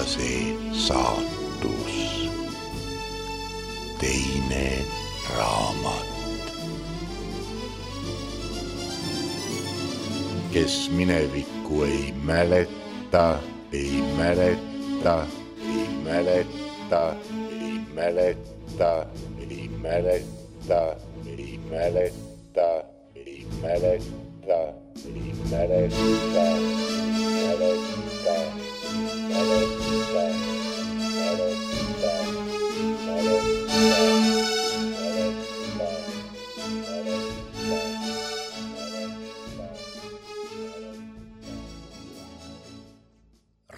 see saatus. Teine raamat. Kes minevikku ei mäleta, ei mäleta, ei mäleta, ei mäleta, ei mäleta, ei mäleta, ei mäleta, ei mäleta,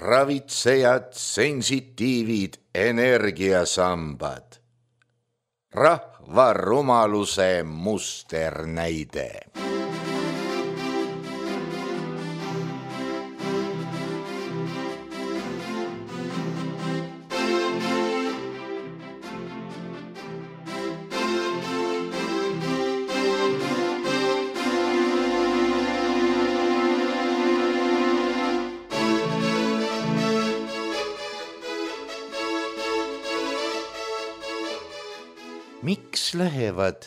ravitsejad, sensitiivid, energiasambad. Rahva rumaluse musternäide. Miks lähevad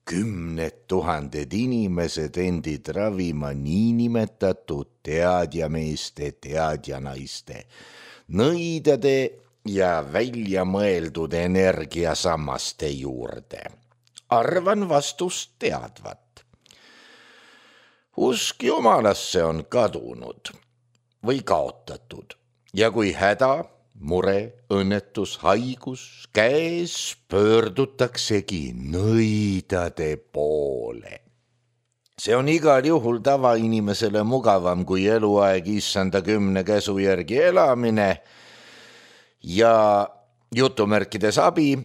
10 000 inimesed endid ravima niinimetatud teadjameeste, teadjanaiste, nõidade ja väljamõeldud energiasammaste juurde? Arvan vastust teadvat. Usk Jumalasse on kadunud või kaotatud ja kui häda, mure, õnnetus, haigus käes, pöördutaksegi nõidade poole. See on igal juhul tavainimesele mugavam kui eluaeg issanda 10 käsu järgi elamine ja jutumärkides abi,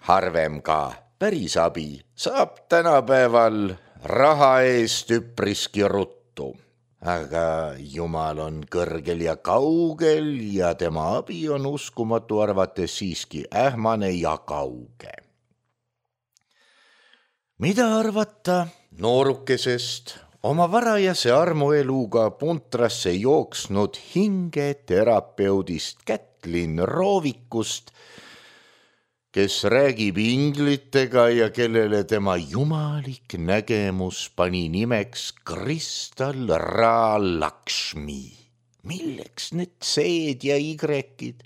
harvem ka päris abi, saab tänapäeval raha eest üpriski ruttu. Aga Jumal on kõrgel ja kaugel ja tema abi on uskumatu arvates siiski ähmane ja kauge. Mida arvata noorukesest oma varajase armueluga puntrasse jooksnud hingeterapeudist Kätlin Roovikust, kes räägib inglitega ja kellele tema jumalik nägemus pani nimeks Kristallraalakshmi. Milleks need seed ja igrekid?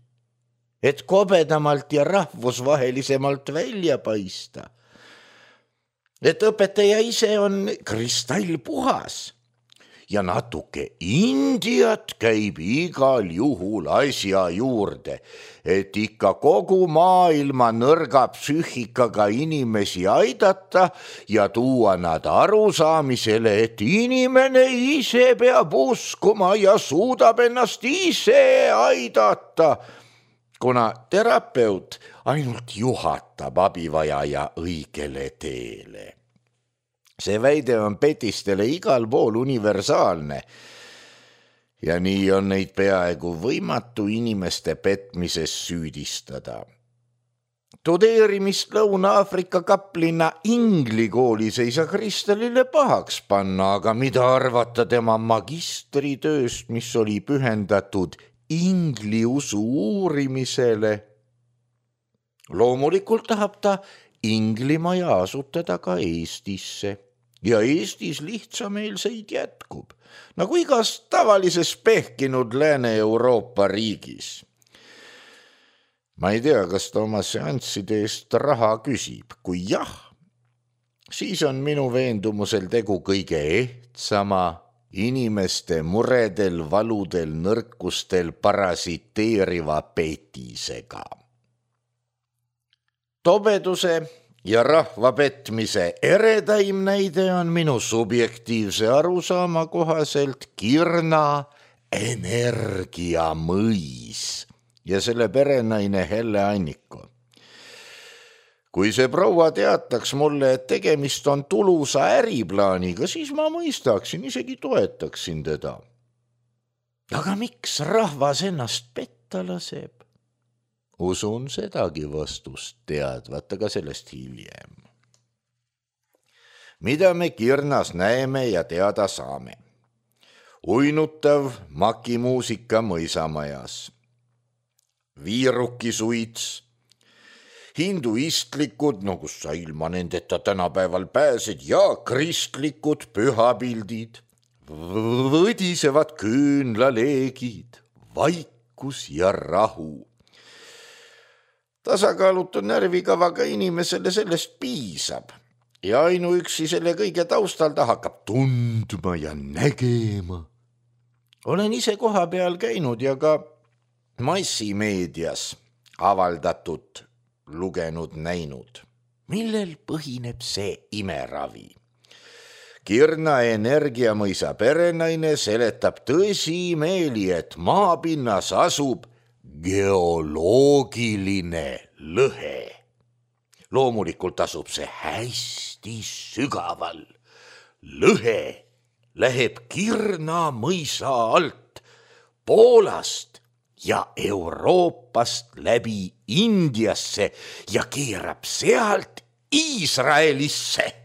Et kobedamalt ja rahvusvahelisemalt välja paista. Et õpetaja ise on kristallpuhas ja natuke Indiat käib igal juhul asja juurde, et ikka kogu maailma nõrga psüühikaga inimesi aidata ja tuua nad arusaamisele, et inimene ise peab uskuma ja suudab ennast ise aidata, kuna terapeut ainult juhatab abivajaja õigele teele. See väide on petistele igal pool universaalne ja nii on neid peaaegu võimatu inimeste petmises süüdistada. Tudeerimist Lõuna-Aafrika kaplinna inglikoolis ei saa Kristallile pahaks panna, aga mida arvata tema magistritööst, mis oli pühendatud ingliusu uurimisele? Loomulikult tahab ta Inglimaja asutada ka Eestisse ja Eestis lihtsameelseid jätkub, nagu igas tavalises pehkinud Lääne-Euroopa riigis. Ma ei tea, kas ta oma seansside eest raha küsib. Kui jah, siis on minu veendumusel tegu kõige ehtsama inimeste muredel, valudel, nõrkustel parasiteeriva petisega. Tobeduse ja rahva petmise eredaim näide on minu subjektiivse arusaama kohaselt Kirna energiamõis ja selle perenaine Helle Anniko. Kui see proua teataks mulle, et tegemist on tulusa äriplaaniga, siis ma mõistaksin, isegi toetaksin teda. Aga miks rahvas ennast petta laseb? Usun sedagi vastust teadvat, aga sellest hiljem. Mida me Kirnas näeme ja teada saame? Uinutav makimuusika mõisamajas. viirukisuits, hinduistlikud, no kus sa ilma nendeta tänapäeval pääsed, ja kristlikud pühapildid, võdisevad küünlaleegid, vaikus ja rahu. Tasakaalutu närvikavaga inimesele sellest piisab ja ainuüksi selle kõige taustal ta hakkab tundma ja nägema. Olen ise koha peal käinud ja ka massimeedias avaldatud, lugenud, näinud. Millel põhineb see imeravi? Kirna Energiamõisa perenaine seletab tõsimeeli, et maapinnas asub geoloogiline lõhe. Loomulikult asub see hästi sügaval. Lõhe läheb Kirna mõisa alt, Poolast ja Euroopast läbi Indiasse ja keerab sealt Iisraelisse.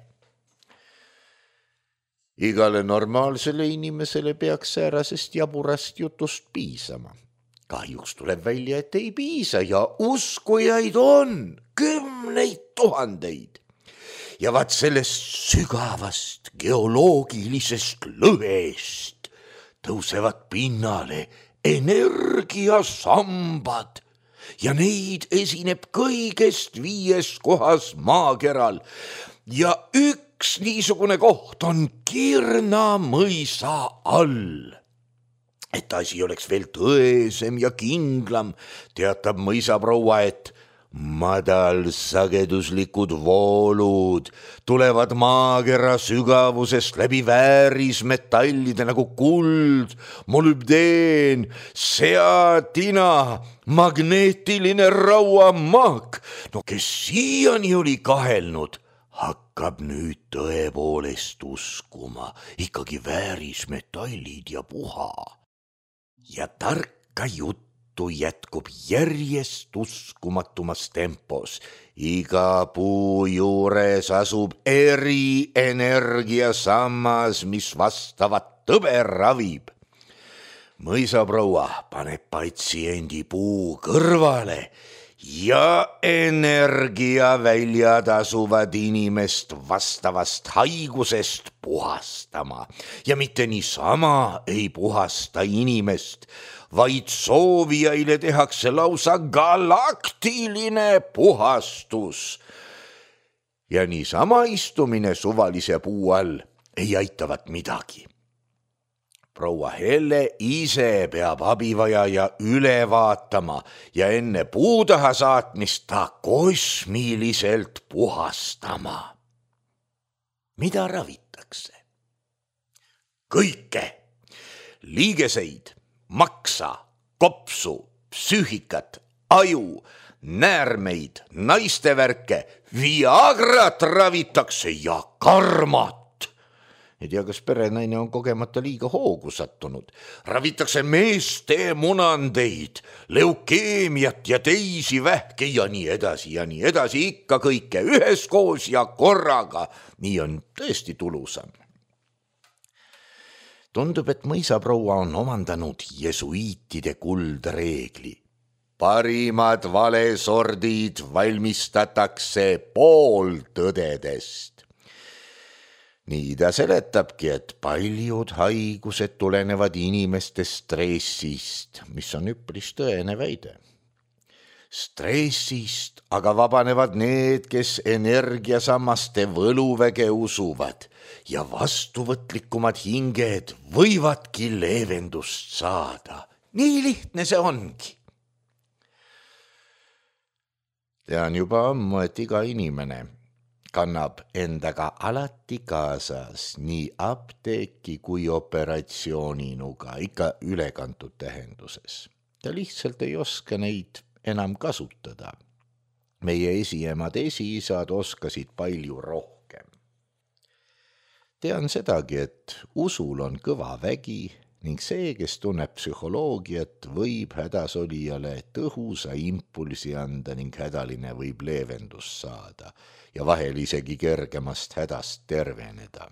Igale normaalsele inimesele peaks säärasest jaburast jutust piisama. Kahjuks tuleb välja, et ei piisa ja uskujaid on 10 000. Ja vaat sellest sügavast geoloogilisest lõhest tõusevad pinnale energiasambad ja neid esineb kõigest 5 kohas maakeral ja üks niisugune koht on Kirna mõisa all. Et asi oleks veel tõesem ja kindlam, teatab mõisaproua, et madalsageduslikud voolud tulevad maakera sügavusest läbi väärismetallide nagu kuld, molübdeen, seatina, magneetiline rauamaak. No kes siiani oli kahelnud, hakkab nüüd tõepoolest uskuma, ikkagi väärismetallid ja puha. Ja tarka juttu jätkub järjest uskumatumas tempos. Iga puu juures asub erienergiasammas, mis vastavat tõbe ravib. Mõisaproua paneb patsiendi puu kõrvale ja energiaväljad asuvad inimest vastavast haigusest puhastama. Ja mitte niisama ei puhasta inimest, vaid soovijaile tehakse lausa galaktiline puhastus. Ja niisama istumine suvalise puu all ei aitavat midagi. Proua Helle ise peab abivajaja üle vaatama ja enne puu taha saatmist ta kosmiliselt puhastama. Mida ravitakse? Kõike. Liigeseid, maksa, kopsu, psüühikat, aju, näärmeid, naistevärke, Viagrat ravitakse ja karmat. Ei tea, kas perenaine on kogemata liiga hoogu sattunud. Ravitakse meeste munandeid, leukeemiat ja teisi vähke ja nii edasi, ikka kõike üheskoos ja korraga. Nii on tõesti tulusam. Tundub, et mõisaproua on omandanud jesuiitide kuldreegli. Parimad valesordid valmistatakse pooltõdedest. Nii ta seletabki, et paljud haigused tulenevad inimeste stressist, mis on üpris tõene väide. Stressist aga vabanevad need, kes energiasammaste võluväge usuvad ja vastuvõtlikumad hinged võivadki leevendust saada. Nii lihtne see ongi. Tean juba ammu, et iga inimene kannab endaga alati kaasas nii apteeki kui operatsiooninuga, ikka ülekantud tähenduses. Ta lihtsalt ei oska neid enam kasutada. Meie esiemad esiisad oskasid palju rohkem. Tean sedagi, et usul on kõva vägi ning see, kes tunneb psühholoogiat, võib hädasolijale tõhusa impulsi anda ning hädaline võib leevendust saada ja vahel isegi kergemast hädast terveneda.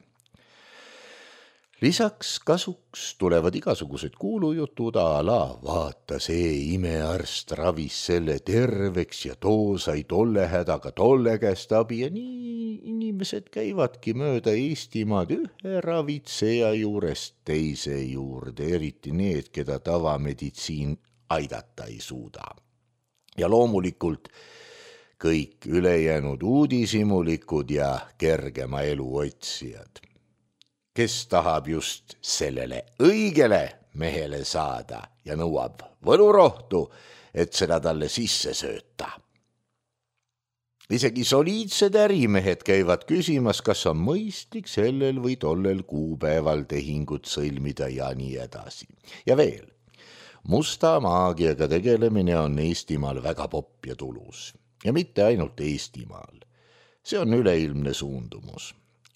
Lisaks kasuks tulevad igasugused kuulujutud a la vaata see imearst ravis selle terveks ja too sai tolle hädaga tolle käest abi ja nii inimesed käivadki mööda Eestimaad ühe ravitseja juurest teise juurde, eriti need, keda tavameditsiin aidata ei suuda. Ja loomulikult kõik ülejäänud uudishimulikud ja kergema elu otsijad, kes tahab just sellele õigele mehele saada ja nõuab võlurohtu, et seda talle sisse sööta. Isegi soliidsed ärimehed käivad küsimas, kas on mõistlik sellel või tollel kuupäeval tehingut sõlmida ja nii edasi. Ja veel, musta maagiaga tegelemine on Eestimaal väga popp ja tulus. Ja mitte ainult Eestimaal. See on üleilmne suundumus.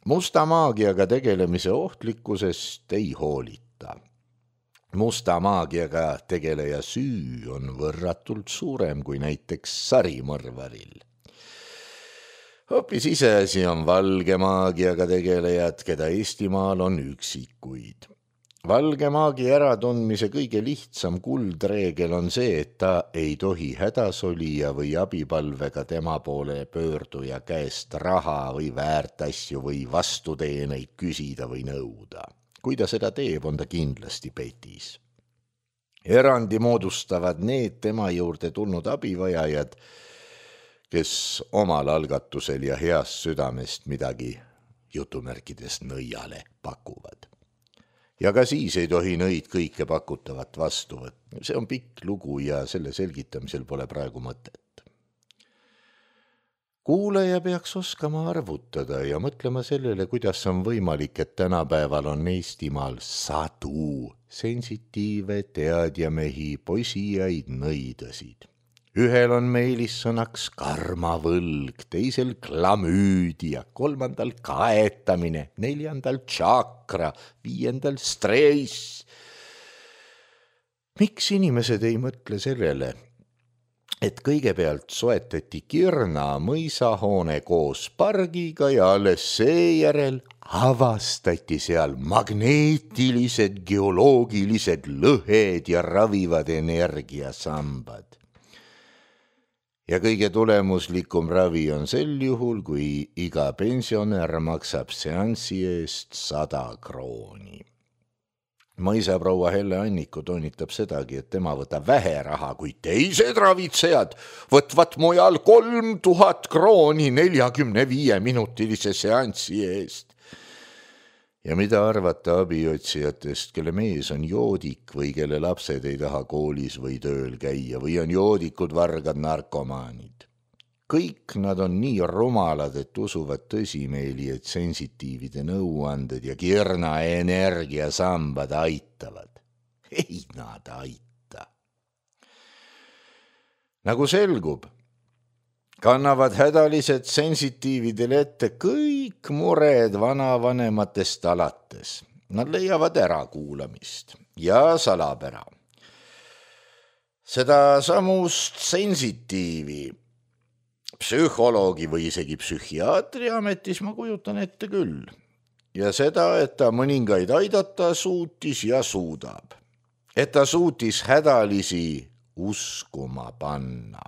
Musta maagiaga tegelemise ohtlikkusest ei hoolita. Musta maagiaga tegeleja süü on võrratult suurem kui näiteks sarimõrvaril. Hoopis iseasi on valge maagiaga tegelejad, keda Eestimaal on üksikuid. Valge maagia äratundmise kõige lihtsam kuldreegel on see, et ta ei tohi hädasolija või abipalvega tema poole pöörduja käest raha või väärtasju või vastuteeneid küsida või nõuda. Kui ta seda teeb, on ta kindlasti petis. Erandi moodustavad need tema juurde tulnud abivajajad, kes omal algatusel ja heast südamest midagi jutumärkides nõiale pakuvad. Ja ka siis ei tohi nõid kõike pakutavat vastu võtta. See on pikk lugu ja selle selgitamisel pole praegu mõtet. Kuulaja peaks oskama arvutada ja mõtlema sellele, kuidas on võimalik, et tänapäeval on Eestimaal sadu sensitiive teadjamehi, posijaid, nõidasid. Ühel on meelissõnaks karmavõlg, teisel klamüüdia, kolmandal kaetamine, neljandal tšakra, viiendal stress. Miks inimesed ei mõtle sellele, et kõigepealt soetati Kirna mõisahoone koos pargiga ja alles seejärel avastati seal magneetilised, geoloogilised lõhed ja ravivad energiasambad. Ja kõige tulemuslikum ravi on sel juhul, kui iga pensionär maksab seanssi eest 100 krooni. Mõisaproua Helle Anniku toonitab sedagi, et tema võtab vähe raha, kui teised ravitsejad võtvad mujal 3000 krooni 45-minutilise seanssi eest. Ja mida arvata abiotsijatest, kelle mees on joodik või kelle lapsed ei taha koolis või tööl käia või on joodikud, vargad, narkomaanid. Kõik nad on nii rumalad, et usuvad tõsimeeli, et sensitiivide nõuanded ja Kirna energiasambad aitavad. Ei nad aita. Nagu selgub, kannavad hädalised sensitiividele ette kõik mured vanavanematest alates. Nad leiavad ärakuulamist ja salapära. Seda samust sensitiivi psühholoogi või isegi psühhiaatri ametis ma kujutan ette küll. Ja seda, et ta mõningaid aidata suutis ja suudab. Et ta suutis hädalisi uskuma panna.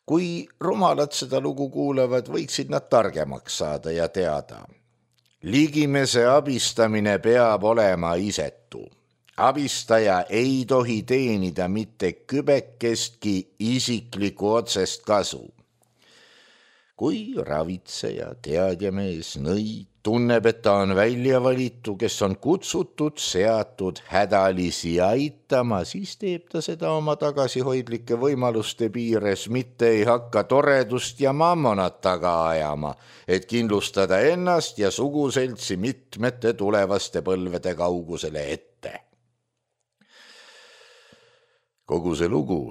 Kui rumalad seda lugu kuulevad, võiksid nad targemaks saada ja teada. Ligimese abistamine peab olema isetu. Abistaja ei tohi teenida mitte kübekestki isikliku otsest kasu. Kui ravitseja, teadjamees, nõid tunneb, et ta on välja valitu, kes on kutsutud, seatud hädalisi aitama, siis teeb ta seda oma tagasihoidlike võimaluste piires, mitte ei hakka toredust ja mammonat taga ajama, et kindlustada ennast ja suguseltsi mitmete tulevaste põlvede kaugusele ette. Kogu see lugu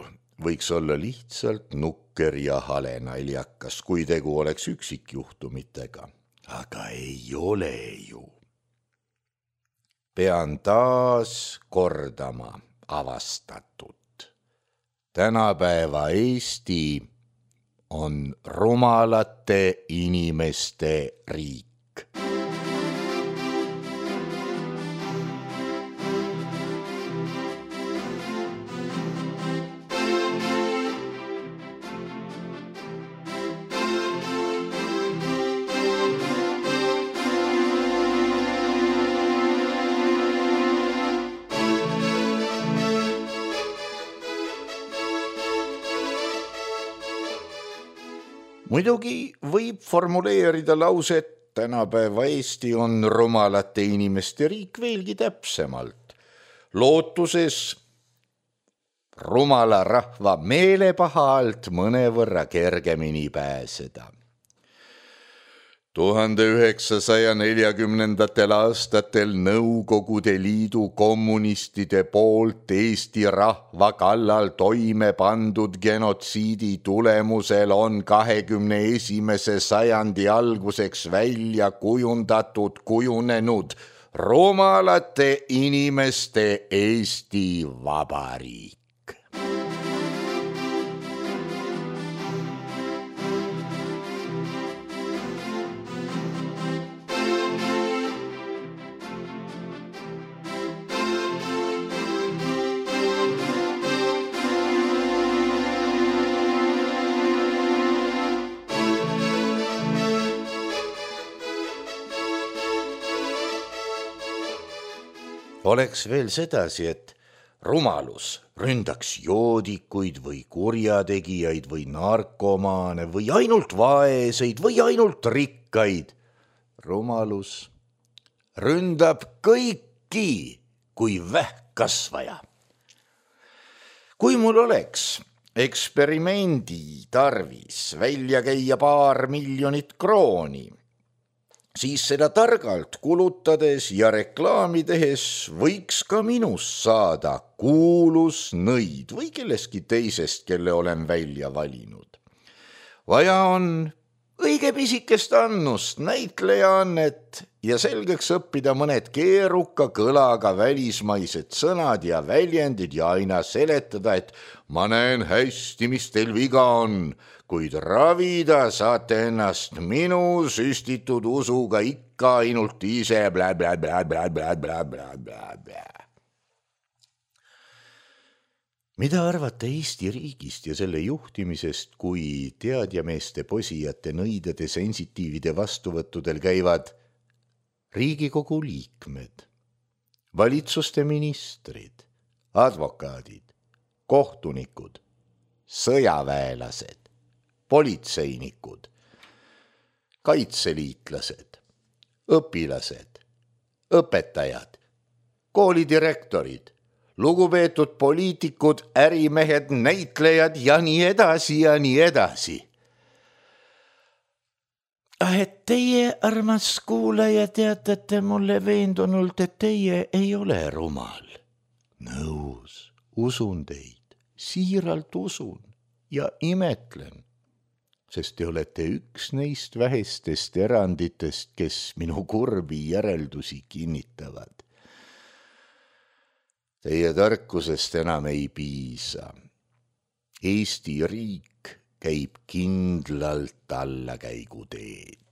võiks olla lihtsalt nukker ja hale naljakas, kui tegu oleks üksikjuhtumitega. Aga ei ole ju. Pean taas kordama avastatut. Tänapäeva Eesti on rumalate inimeste riik. muidugi võib formuleerida lauset tänapäeva Eesti on rumalate inimeste riik veelgi täpsemalt, lootuses rumala rahva meelepaha alt mõnevõrra kergemini pääseda. 1940. aastatel Nõukogude Liidu kommunistide poolt Eesti rahva kallal toime pandud genotsiidi tulemusel on 21. sajandi alguseks välja kujunenud rumalate inimeste Eesti Vabariik. Oleks veel sedasi, et rumalus ründaks joodikuid või kurjategijaid või narkomaane või ainult vaeseid või ainult rikkaid. Rumalus ründab kõiki kui vähkkasvaja. Kui mul oleks eksperimendi tarvis välja käia 2 miljonit krooni, siis seda targalt kulutades ja reklaami tehes võiks ka minust saada kuulus nõid või kelleski teisest, kelle olen välja valinud. Vaja on õige pisikest annust, näitlejaannet ja selgeks õppida mõned keeruka kõlaga välismaised sõnad ja väljendid ja aina seletada, et ma näen hästi, mis teil viga on, kuid ravida saate ennast minu süstitud usuga ikka ainult ise bla-bla-bla-bla-bla-bla-bla-bla. Mida arvate Eesti riigist ja selle juhtimisest, kui teadjameeste posijate nõidade sensitiivide vastuvõttudel käivad Riigikogu liikmed, valitsuste ministrid, advokaadid, kohtunikud, sõjaväelased, politseinikud, kaitseliitlased, õpilased, õpetajad, koolidirektorid, lugupeetud poliitikud, ärimehed, näitlejad ja nii edasi ja nii edasi. Et teie, armas kuulaja, teatate mulle veendunult, et teie ei ole rumal. Nõus, usun teid, siiralt usun ja imetlen, sest te olete üks neist vähestest eranditest, kes minu kurbi järeldusi kinnitavad. Teie tarkusest enam ei piisa. Eesti riik käib kindlalt allakäiguteed.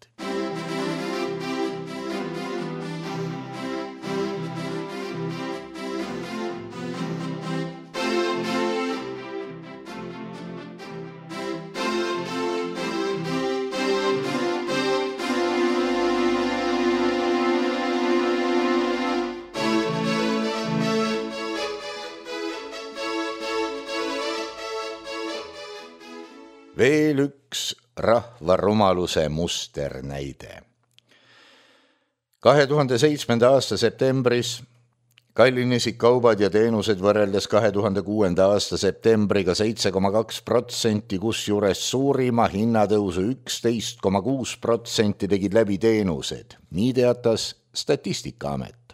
Veel üks rahva rumaluse musternäide. 2007. aasta septembris kallinesid kaubad ja teenused võrreldes 2006. aasta septembriga 7,2%, kusjuures suurima hinnatõusu 11,6% tegid läbi teenused. Nii teatas Statistikaamet.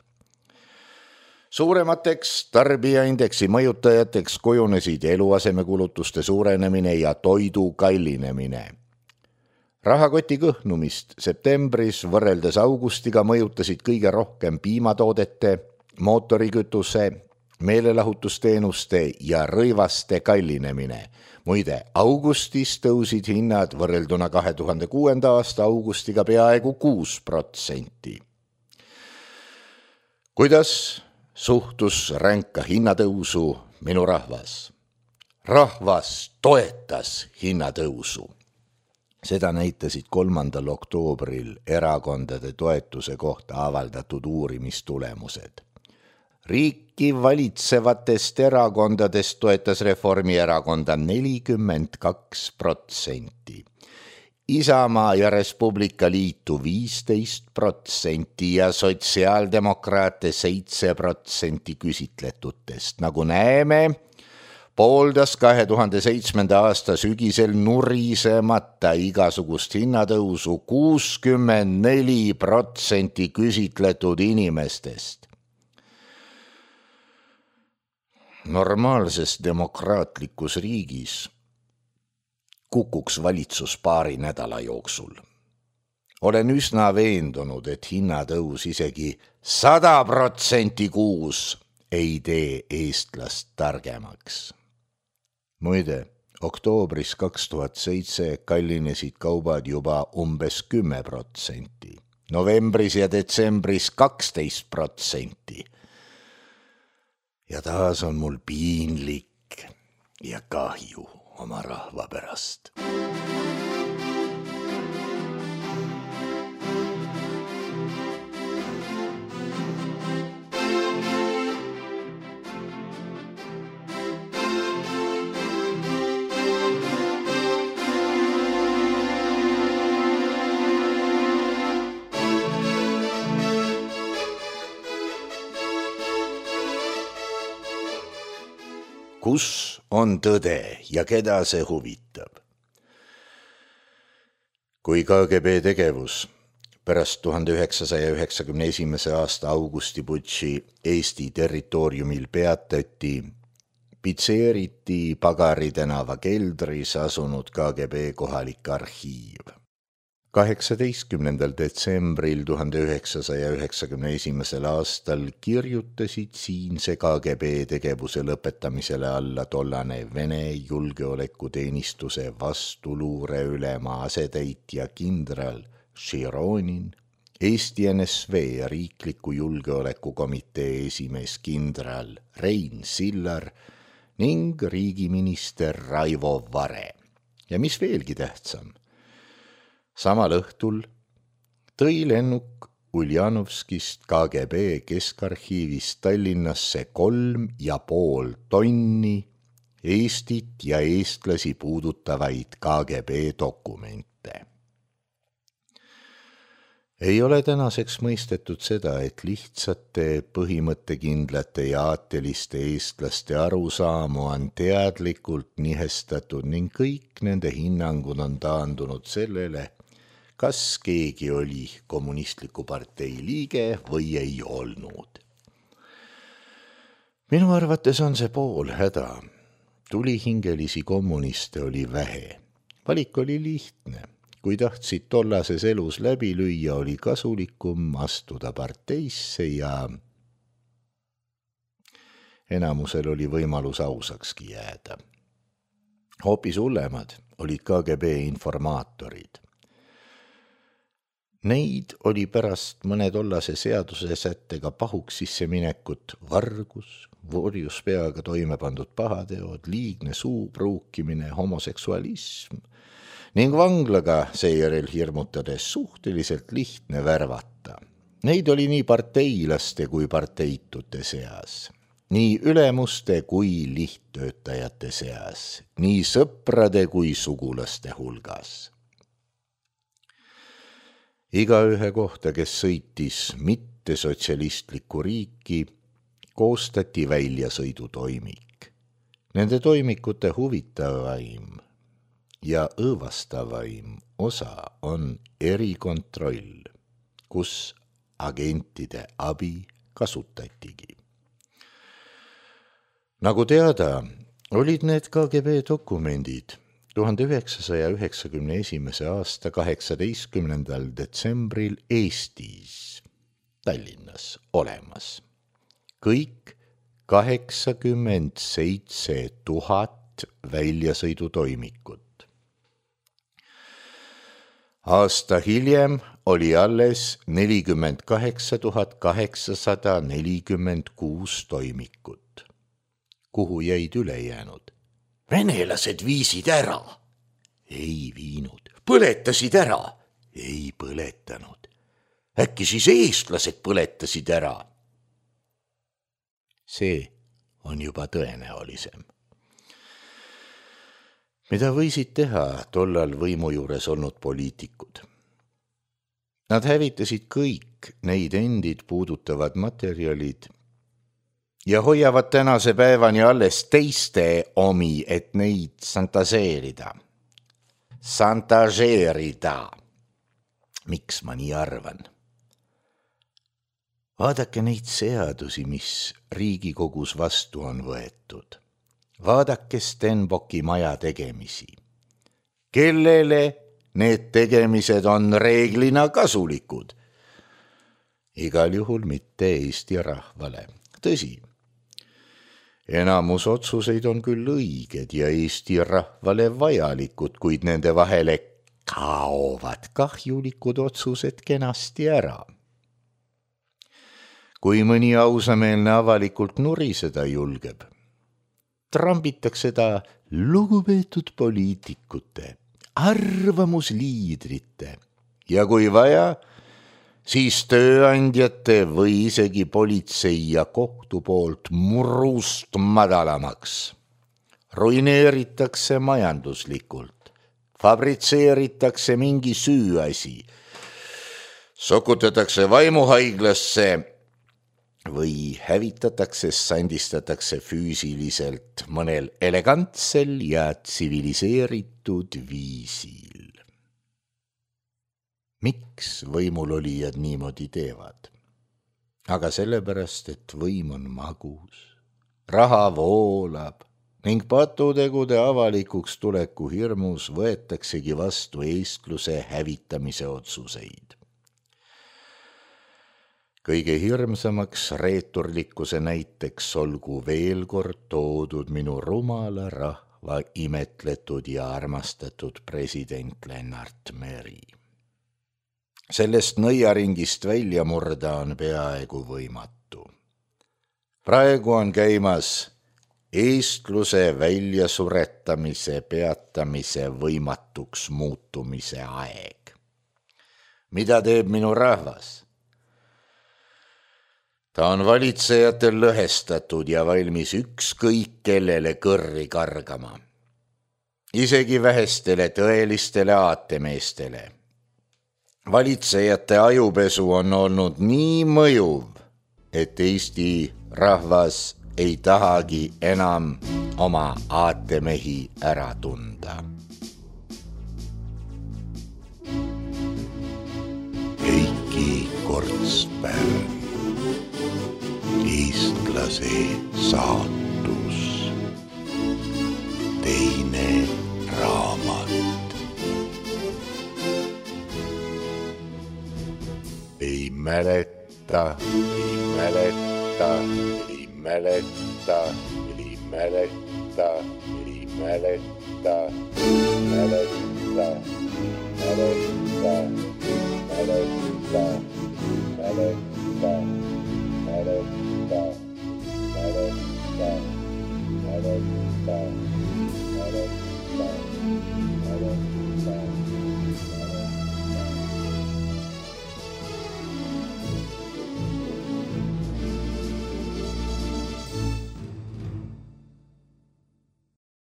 Suuremateks tarbijaindeksi mõjutajateks kujunesid eluasemekulutuste suurenemine ja toidu kallinemine. Rahakoti kõhnumist septembris võrreldes augustiga mõjutasid kõige rohkem piimatoodete, mootorikütuse, meelelahutusteenuste ja rõivaste kallinemine. Muide, augustis tõusid hinnad võrrelduna 2006. aasta augustiga peaaegu 6%. Kuidas suhtus ränka hinnatõusu minu rahvas? Rahvas toetas hinnatõusu. Seda näitasid 3. oktoobril erakondade toetuse kohta avaldatud uurimistulemused. Riiki valitsevatest erakondadest toetas Reformierakonda 42%. Isamaa ja Respublika Liitu 15% ja sotsiaaldemokraate 7% küsitletutest. Nagu näeme, pooldas 2007. aasta sügisel nurisemata igasugust hinnatõusu 64% küsitletud inimestest. Normaalses demokraatlikus riigis kukuks valitsus paari nädala jooksul. Olen üsna veendunud, et hinnatõus isegi 100% kuus ei tee eestlast targemaks. Muide, oktoobris 2007 kallinesid kaubad juba umbes 10%, novembris ja detsembris 12%. Ja taas on mul piinlik ja kahju oma rahva pärast. Kus on tõde ja keda see huvitab? Kui KGB tegevus pärast 1991. aasta augustiputši Eesti territooriumil peatati, pitseeriti Pagari tänava keldris asunud KGB kohalik arhiiv. 18. detsembril 1991. aastal kirjutasid siinse KGB tegevuse lõpetamisele alla tollane Vene julgeolekuteenistuse vastuluureülema asetäitja kindral Šironin, Eesti NSV riikliku julgeolekukomitee esimees kindral Rein Sillar ning riigiminister Raivo Vare. Ja mis veelgi tähtsam, samal õhtul tõi lennuk Uljanovskist KGB keskarhiivist Tallinnasse 3,5 tonni Eestit ja eestlasi puudutavaid KGB dokumente. Ei ole tänaseks mõistetud seda, et lihtsate, põhimõttekindlate ja aateliste eestlaste arusaamu on teadlikult nihestatud ning kõik nende hinnangud on taandunud sellele, kas keegi oli kommunistliku partei liige või ei olnud. Minu arvates on see pool häda. Tulihingelisi kommuniste oli vähe. Valik oli lihtne. Kui tahtsid tollases elus läbi lüüa, oli kasulikum astuda parteisse ja enamusel oli võimalus ausakski jääda. Hoopis hullemad olid KGB informaatorid. Neid oli pärast mõne tollase seaduse sättega pahuks sisse minekut vargus, vorjus peaga toime pandud pahateod, liigne suupruukimine, homoseksualism ning vanglaga seejärel hirmutades suhteliselt lihtne värvata. Neid oli nii parteilaste kui parteitute seas, nii ülemuste kui lihttöötajate seas, nii sõprade kui sugulaste hulgas. Igaühe kohta, kes sõitis mitte sotsialistlikku riiki, koostati väljasõidutoimik. Nende toimikute huvitavaim ja õõvastavaim osa on erikontroll, kus agentide abi kasutatigi. Nagu teada, olid need KGB dokumendid 1991. aasta 18. detsembril Eestis, Tallinnas olemas. Kõik 87 000 väljasõidutoimikut. Aasta hiljem oli alles 48 846 toimikut. Kuhu jäid ülejäänud? Venelased viisid ära. Ei viinud. Põletasid ära. Ei põletanud. Äkki siis eestlased põletasid ära? See on juba tõenäolisem. Mida võisid teha tollal võimu juures olnud poliitikud? Nad hävitasid kõik neid endid puudutavad materjalid ja hoiavad tänase päevani alles teiste omi, et neid santažeerida. Miks ma nii arvan? Vaadake neid seadusi, mis Riigikogus vastu on võetud. Vaadake Stenbocki maja tegemisi. Kellele need tegemised on reeglina kasulikud? Igal juhul mitte Eesti rahvale. Tõsi, enamus otsuseid on küll õiged ja Eesti rahvale vajalikud, kuid nende vahele kaovad kahjulikud otsused kenasti ära. Kui mõni ausameelne avalikult nuriseda julgeb, trambitakse ta lugupeetud poliitikute, arvamusliidrite ja kui vaja, siis tööandjate või isegi politsei ja kohtu poolt murust madalamaks. Ruineeritakse majanduslikult, fabritseeritakse mingi süüasi, sokutatakse vaimuhaiglasse või hävitatakse, sandistatakse füüsiliselt mõnel elegantsel ja tsiviliseeritud viisil. Miks võimulolijad niimoodi teevad? Aga sellepärast, et võim on magus, raha voolab ning patutegude avalikuks tuleku hirmus võetaksegi vastu eestluse hävitamise otsuseid. Kõige hirmsamaks reeturlikkuse näiteks olgu veel kord toodud minu rumala rahva imetletud ja armastatud president Lennart Meri. Sellest nõiaringist välja murda on peaaegu võimatu. Praegu on käimas eestluse väljasuretamise, peatamise, võimatuks muutumise aeg. Mida teeb minu rahvas? Ta on valitsejatel lõhestatud ja valmis ükskõik kellele kõrri kargama. Isegi vähestele tõelistele aatemeestele. Valitsejate ajupesu on olnud nii mõjuv, et Eesti rahvas ei tahagi enam oma aatemehi ära tunda. Heiki Kortsberg. Eestlase saatus. Teine raamat. Ei mäleta. Ei mäleta.